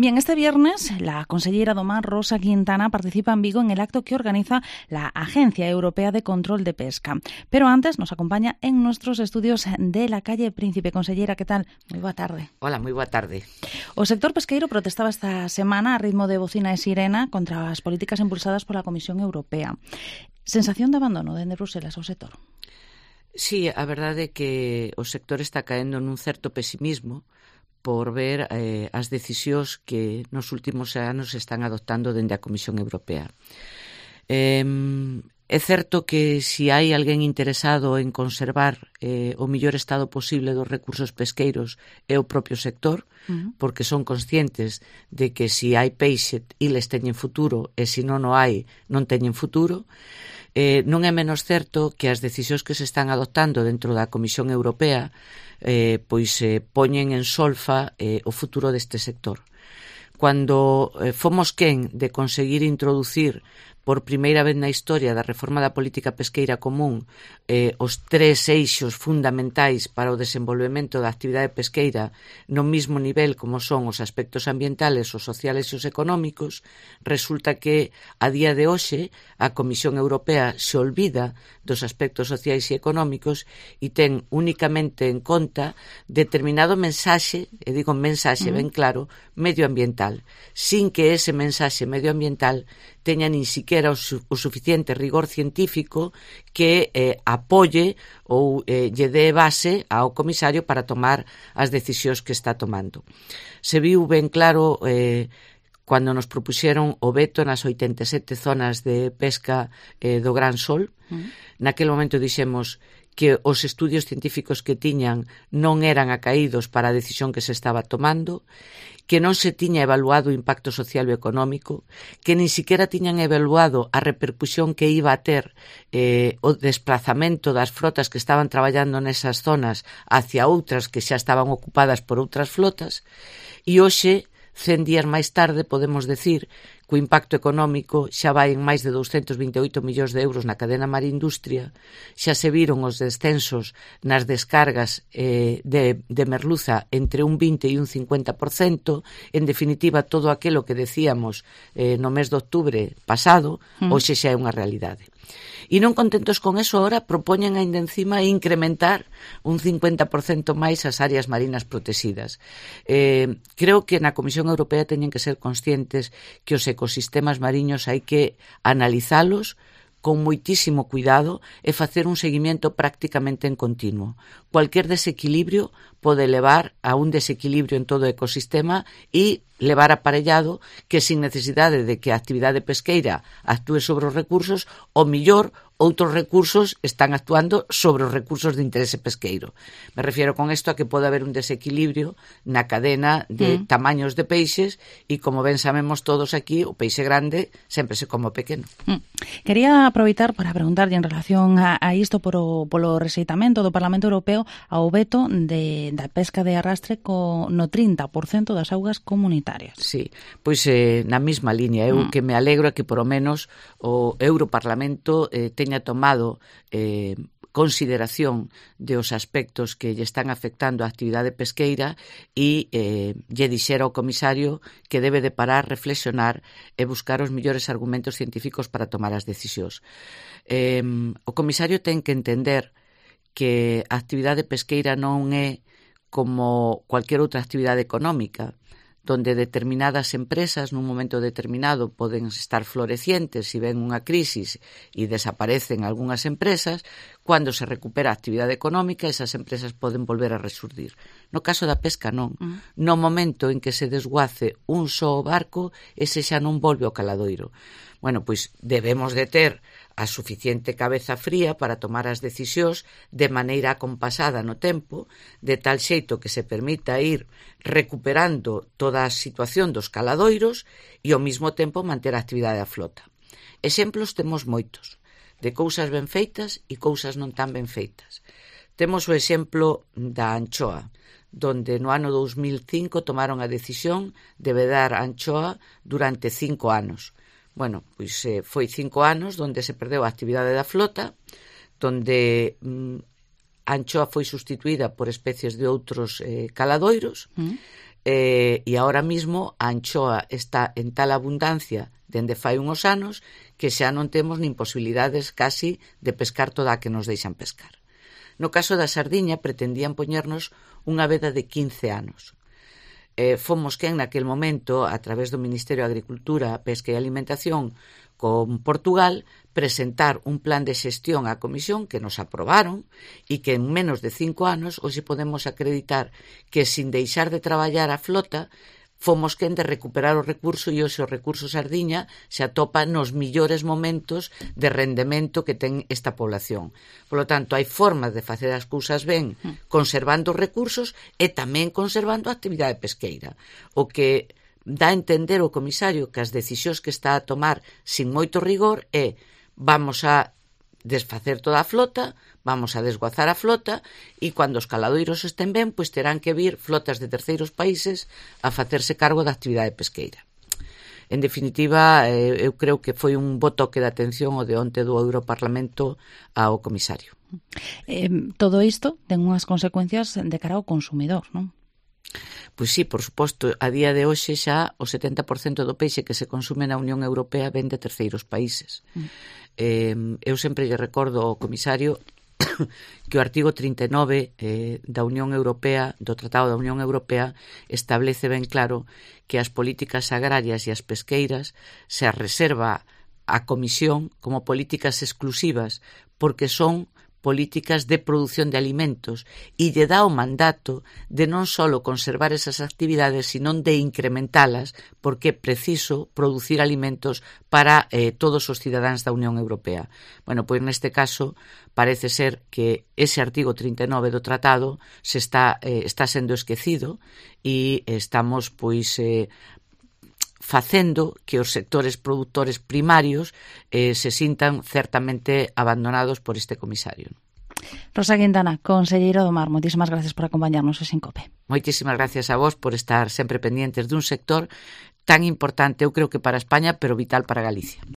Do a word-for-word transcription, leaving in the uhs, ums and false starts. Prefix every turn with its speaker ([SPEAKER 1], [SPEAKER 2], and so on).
[SPEAKER 1] Bien, este viernes la consellera do Mar, Rosa Quintana, participa en Vigo en el acto que organiza la Agencia Europea de Control de Pesca. Pero antes nos acompaña en nuestros estudios de la calle Príncipe. Consellera, ¿qué tal? Moi boa tarde.
[SPEAKER 2] Hola, moi boa tarde.
[SPEAKER 1] O sector pesqueiro protestaba esta semana a ritmo de bocina e sirena contra as políticas impulsadas pola Comisión Europea. Sensación de abandono dende Bruselas ao sector?
[SPEAKER 2] Sí, a verdade é que o sector está caendo nun certo pesimismo por ver eh, as decisións que nos últimos anos están adoptando dende a Comisión Europea. Eh, é certo que se hai alguén interesado en conservar eh, o mellor estado posible dos recursos pesqueiros é o propio sector, uh-huh. porque son conscientes de que se hai peixe, iles teñen futuro, e se non o hai, non teñen futuro. Eh, non é menos certo que as decisións que se están adoptando dentro da Comisión Europea eh, pois eh, poñen en solfa eh, o futuro deste sector. Cando eh, fomos quen de conseguir introducir por primeira vez na historia da reforma da política pesqueira común eh, os tres eixos fundamentais para o desenvolvemento da actividade pesqueira no mismo nivel como son os aspectos ambientales, os sociales e os económicos, resulta que a día de hoxe a Comisión Europea se olvida dos aspectos sociais e económicos e ten únicamente en conta determinado mensaxe, e digo mensaxe ben claro, medioambiental, sin que ese mensaxe medioambiental teña nin siquiera o, su, o suficiente rigor científico que eh, apoie ou eh, lle dé base ao comisario para tomar as decisións que está tomando. Se viu ben claro eh, cando nos propuxeron o veto nas oitenta e sete zonas de pesca eh, do Gran Sol. Uh-huh. Naquele momento dixemos que os estudios científicos que tiñan non eran acaídos para a decisión que se estaba tomando, que non se tiña evaluado o impacto social e económico, que nin siquiera tiñan evaluado a repercusión que iba a ter eh, o desplazamento das frotas que estaban traballando nesas zonas hacia outras que xa estaban ocupadas por outras flotas, e hoxe, cen días máis tarde, podemos decir que o impacto económico xa vai en máis de douscentos vinte e oito millóns de euros na cadena Marindustria, xa se viron os descensos nas descargas eh, de, de merluza entre un vinte e un cincuenta por cento, en definitiva todo aquilo que decíamos eh, no mes de outubro pasado, mm. hoxe xa é unha realidade. E non contentos con eso, ahora propoñen ainda encima incrementar un cincuenta por cento máis as áreas marinas protegidas. Eh, creo que na Comisión Europea teñen que ser conscientes que os ecosistemas mariños hai que analizalos con moitísimo cuidado e facer un seguimento prácticamente en continuo. Cualquier desequilibrio pode levar a un desequilibrio en todo o ecosistema e levar aparellado que sin necesidade de que a actividade pesqueira actúe sobre os recursos, o millor outros recursos están actuando sobre os recursos de interese pesqueiro. Me refiero con isto a que pode haber un desequilibrio na cadena de mm. tamaños de peixes e, como ben sabemos todos aquí, o peixe grande sempre se come o pequeno.
[SPEAKER 1] Mm. Quería aproveitar para preguntarlle en relación a, a isto por o, polo rexeitamento do Parlamento Europeo ao veto de, da pesca de arrastre co, no trinta por cento das augas comunitarias.
[SPEAKER 2] Sí, pois eh, na mesma línea. Eu mm. que me alegro a que, por o menos, o Europarlamento eh, teña tomado eh, consideración de os aspectos que lle están afectando a actividade pesqueira e eh, lle dixera ao comisario que debe de parar, reflexionar e buscar os mellores argumentos científicos para tomar as decisións. Eh, o comisario ten que entender que a actividade pesqueira non é como cualquier outra actividade económica, donde determinadas empresas nun momento determinado poden estar florecientes e ven unha crisis e desaparecen algunhas empresas, cando se recupera a actividade económica, esas empresas poden volver a resurdir. No caso da pesca non. Uh-huh. No momento en que se desguace un só barco, ese xa non volve ao caladoiro. Bueno, pois debemos de ter a suficiente cabeza fría para tomar as decisións de maneira acompasada no tempo, de tal xeito que se permita ir recuperando toda a situación dos caladoiros e ao mesmo tempo manter a actividade da flota. Exemplos temos moitos, de cousas ben feitas e cousas non tan ben feitas. Temos o exemplo da anchoa, donde no ano dous mil cinco tomaron a decisión de vedar a anchoa durante cinco anos. Bueno, pois eh, foi cinco anos donde se perdeu a actividade da flota, donde mm, a anchoa foi sustituída por especies de outros eh, caladoiros, mm. eh, e ahora mismo a anchoa está en tal abundancia dende fai unhos anos que xa non temos nin posibilidades casi de pescar toda a que nos deixan pescar. No caso da sardiña pretendían poñernos unha veda de quince anos. Eh, fomos quen naquel momento, a través do Ministerio de Agricultura, Pesca e Alimentación, con Portugal, presentar un plan de xestión á Comisión que nos aprobaron e que en menos de cinco anos hoxe podemos acreditar que sin deixar de traballar a flota fomos quen de recuperar o recurso e hoxe o recurso sardiña se atopa nos millores momentos de rendemento que ten esta población. Por lo tanto, hai formas de facer as cousas ben conservando os recursos e tamén conservando a actividade pesqueira. O que dá a entender o comisario que as decisións que está a tomar sin moito rigor é vamos a desfacer toda a flota, vamos a desguazar a flota e cando os caladoiros estén ben, pois terán que vir flotas de terceiros países a facerse cargo da actividade pesqueira. En definitiva, eh, eu creo que foi un bo toque de atención o de onte do Europarlamento ao comisario.
[SPEAKER 1] Eh, todo isto ten unhas consecuencias de cara ao consumidor, non?
[SPEAKER 2] Pois sí, por suposto, a día de hoxe xa o setenta por cento do peixe que se consume na Unión Europea ven de terceiros países. Mm. Eh, eu sempre lle recordo ao comisario que o artigo trinta e nove eh, da Unión Europea, do Tratado da Unión Europea, establece ben claro que as políticas agrarias e as pesqueiras se as reserva a Comisión como políticas exclusivas porque son políticas de produción de alimentos e lle dá o mandato de non só conservar esas actividades, sino de incrementalas, porque é preciso producir alimentos para eh, todos os cidadáns da Unión Europea. Bueno, pois neste caso parece ser que ese artigo trinta e nove do tratado se está, eh, está sendo esquecido e estamos pois eh, facendo que os sectores produtores primarios eh, se sintan certamente abandonados por este comisario.
[SPEAKER 1] Rosa Quintana, conselleiro do Mar, moitísimas gracias por acompañarnos en Sincope.
[SPEAKER 2] Moitísimas gracias a vos por estar sempre pendientes dun sector tan importante, eu creo que para España, pero vital para Galicia.